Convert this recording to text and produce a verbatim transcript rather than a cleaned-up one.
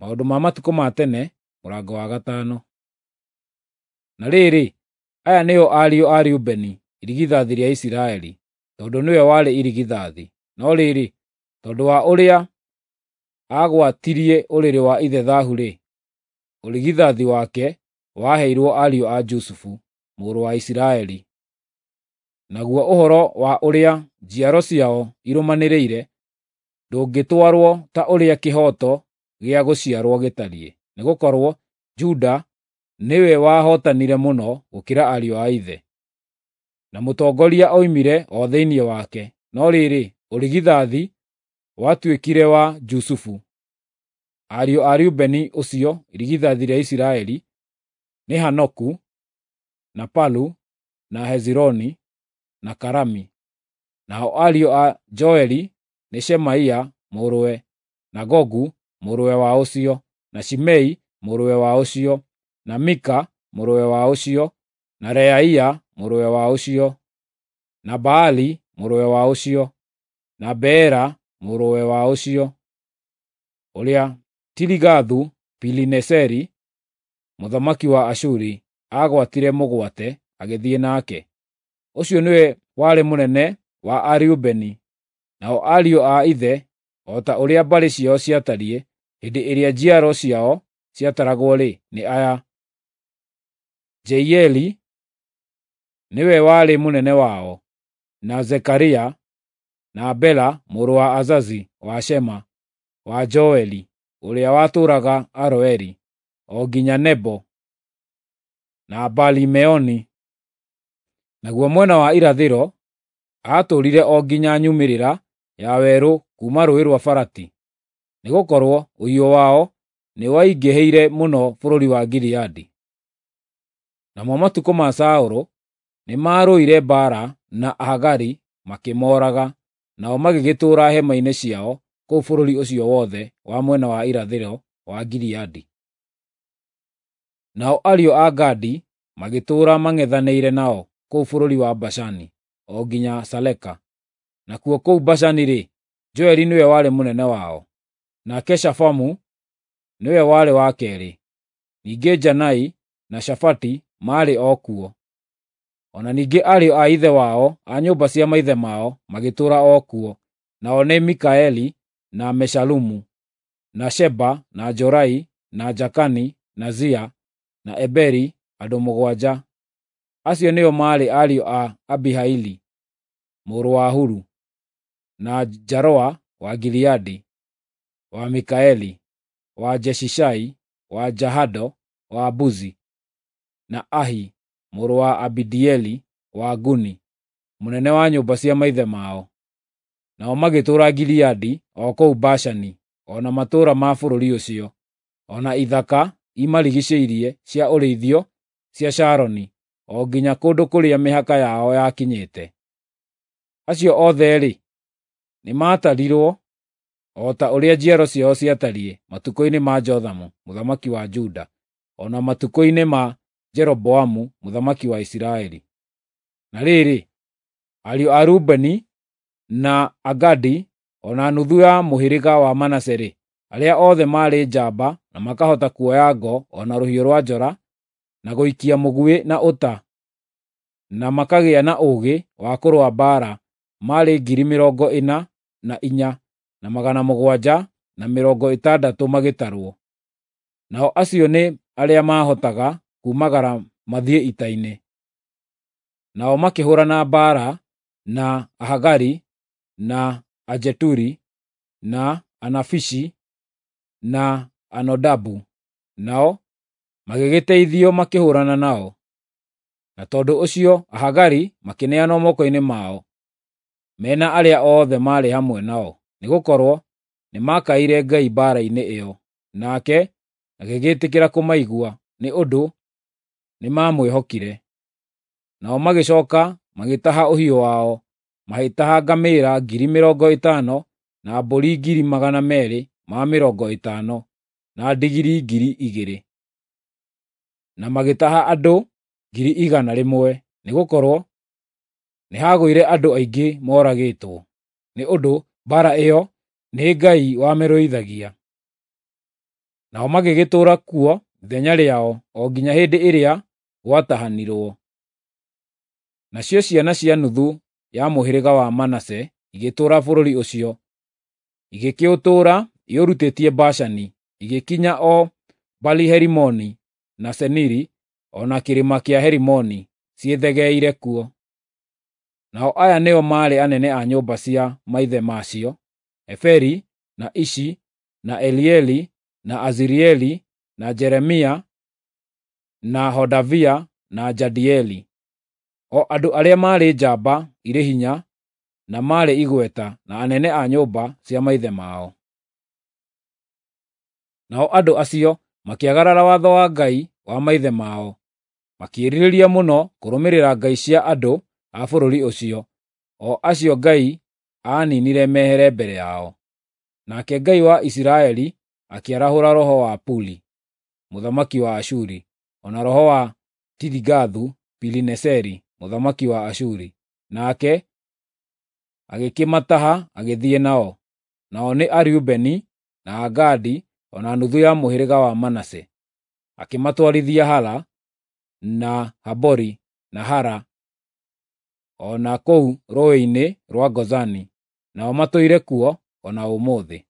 Maũndũ ma Matukũ ma Tene, mũrango wa gatano. Na rĩrĩ, aya nĩo ariũ a Rubeni, irigithathi rĩa Isiraeli, tondũ nĩwe warĩ irigithathi. No rĩrĩ, tondũ wa ũrĩa aagwatirie ũrĩrĩ wa ithe thaahu-rĩ, ũrigithathi wake waheirwo ariũ a Jusufu, mũrũ wa Isiraeli. Naguo ũhoro wa ũrĩa njiaro ciao irũmanĩrĩire ndũngĩtwarwo ta ũrĩa kĩhooto gĩa gũciarwo gĩtariĩ, nĩgũkorwo Juda nĩwe wahootanire mũno gũkĩra ariũ a ithe, na mũtongoria oimire o thĩinĩ wake. No rĩrĩ, ũrigithathi watuĩkire wa Jusufu. Ariũ a Rubeni ũcio irigithathi rĩa Isiraeli nĩ Hanoku, na Palu, na Hezironi, na Karami. Nao ariũ a Joeli nĩ Shemaia mũrũwe, na Gogu mũrũwe wa ũcio, na Shimei mũrũwe wa ũcio, na Mika mũrũwe wa ũcio, na Reaia mũrũwe wa ũcio, na Baali mũrũwe wa ũcio, na Beera mũrũwe wa ũcio, ũrĩa Tiligathu-Pilineseri mũthamaki wa Ashuri aagwatire mũgwate agĩthiĩ nake. Ũcio nĩwe warĩ mũnene wa Arubeni, nao ariũ a ithe o ta ũrĩa mbarĩ ciao ciatariĩ hĩndĩ ĩrĩa njiaro ciao ciataragwo-rĩ, nĩ aya: Jeieli nĩwe warĩ mũnene wao, na Zekaria, na Bela mũrũ wa Azazi wa Shema wa Joeli ũrĩa watũũraga Aroeri, o nginya Nebo na Baali-Meoni. Naguo mwena wa irathĩro aatũũrire o nginya nyumĩrĩra ya werũ kuuma Rũũĩ rwa Farati, nĩgũkorwo ũhiũ wao nĩwaingĩhĩire mũno bũrũri wa Gileadi. Namo matukũ ma Saũlũ nĩmarũire mbaara na Ahagari makĩmooraga, nao magĩgĩtũũra hema-inĩ ciao kũu bũrũri ũcio wothe wa mwena wa irathĩro wa Gileadi. Nao ariũ a Gadi magĩtũũra mang'ethanĩire nao kũu bũrũri wa Bashani o nginya Saleka. Nakuo kũu Bashani-rĩ, Joeli nĩwe warĩ mũnene wao, nake Shafamu nĩwe warĩ wa keerĩ, ningĩ Janai na Shafati maarĩ o kuo. O na ningĩ ariũ a ithe wao a nyũmba cia maithe mao magĩtũũra o kuo, nao nĩ Mikaeli na Meshalumu, na Sheba na Jorai na Jakani na Zia na Eberi, andũ mũgwanja. Acio nĩo maarĩ ariũ a Abihaili mũrũ wa Huru, na Jaroa wa Gileadi, wa Mikaeli, wa Jeshishai, wa Jahado, wa Buzi, na Ahi mũrũ wa Abidieli wa Guni, mũnene wa nyũmba cia maithe mao. Nao magĩtũũra Gileadi o kũu Bashani, o na matũũra ma bũrũri ũcio, o na ithaka imarigiicĩirie cia ũrĩithio cia Sharoni, o nginya kũndũ kũrĩa mĩhaka yao yakinyĩte. Acio othe-rĩ, nĩmatarirwo o ta ũrĩa njiaro ciao ciatariĩ matukũ-inĩ ma Jothamu mũthamaki wa Juda, o na matukũ-inĩ ma Jeroboamu mũthamaki wa Isiraeli. Na rĩrĩ, ariũ a Rubeni na Agadi o na nuthu ya mũhĩrĩga wa Manase-rĩ, arĩa othe maarĩ njamba na makahota kuoya ngo o na rũhiũ rwa njora, na gũikia mũguĩ na ũta, na makagĩa na ũũgĩ wa kũrũa mbaara, maarĩ ngiri mĩrongo ĩna na inya na magana mũgwanja na mĩrongo ĩtandatũ magĩtarwo. Nao acio nĩ arĩa maahotaga kuumagara mathiĩ ita-inĩ. Nao makĩhũũrana mbaara na Ahagari, na Ajeturi, na Anafishi, na Anodabu, nao magĩgĩteithio makĩhũũrana nao. Na tondũ ũcio Ahagari makĩneanwo moko-inĩ mao, me na arĩa othe maarĩ hamwe nao, nĩgũkorwo nĩmakaĩire Ngai mbaara-inĩ ĩyo, nake agĩgĩtĩkĩra kũmaigua nĩ ũndũ nĩmamwĩhokire. Nao magĩcooka magĩtaha ũhiũ wao, magĩtaha ngamĩĩra ngiri mĩrongo ĩtano na mbũri ngiri magana meerĩ ma mĩrongo ĩtano, na ndigiri ngiri igĩrĩ. Na magĩtaha andũ ngiri igana rĩmwe, nĩgũkorwo nĩhagũire andũ aingĩ moragĩtwo, nĩ ũndũ mbaara ĩyo nĩ Ngai wamĩrũithagia. Nao magĩgĩtũũra kuo ithenya rĩao o nginya hĩndĩ ĩrĩa gwatahanirwo. Nacio ciana cia nuthu ya mũhĩrĩga wa Manase igĩtũũra bũrũri ũcio, igĩkĩũtũũra iũrutĩtie Bashani, igĩkinya o Baali-Herimoni na Seniri, o na kĩrĩma kĩa Herimoni, ciĩthegeeire kuo. Nao aya nĩo maarĩ anene a nyũmba cia maithe macio: Eferi, na Ishi, na Elieli, na Azirieli, na Jeremia, na Hodavia, na Jadieli. O andũ arĩa maarĩ njamba irĩ hinya na maarĩ igweta, na anene a nyũmba cia maithe mao. Nao andũ acio makĩagarara watho wa Ngai wa maithe mao, makĩĩrirĩria mũno kũrũmĩrĩra ngai cia andũ a bũrũri ũcio, o acio Ngai aaniinire mehere mbere yao. Nake Ngai wa Isiraeli akĩarahũra roho wa Puli, mũthamaki wa Ashuri, o na roho wa Tiligathu-Pilineseri, mũthamaki wa Ashuri, nake agĩkĩmataha agĩthiĩ nao. Nao nĩ Areubeni, na Agadi, o na nuthu ya mũhĩrĩga wa Manase. Akĩmatwarithia Hala, na Habori, na Hara, o na kũu rũũĩ-inĩ rwa Gozani, nao matũire kuo o na ũmũthĩ.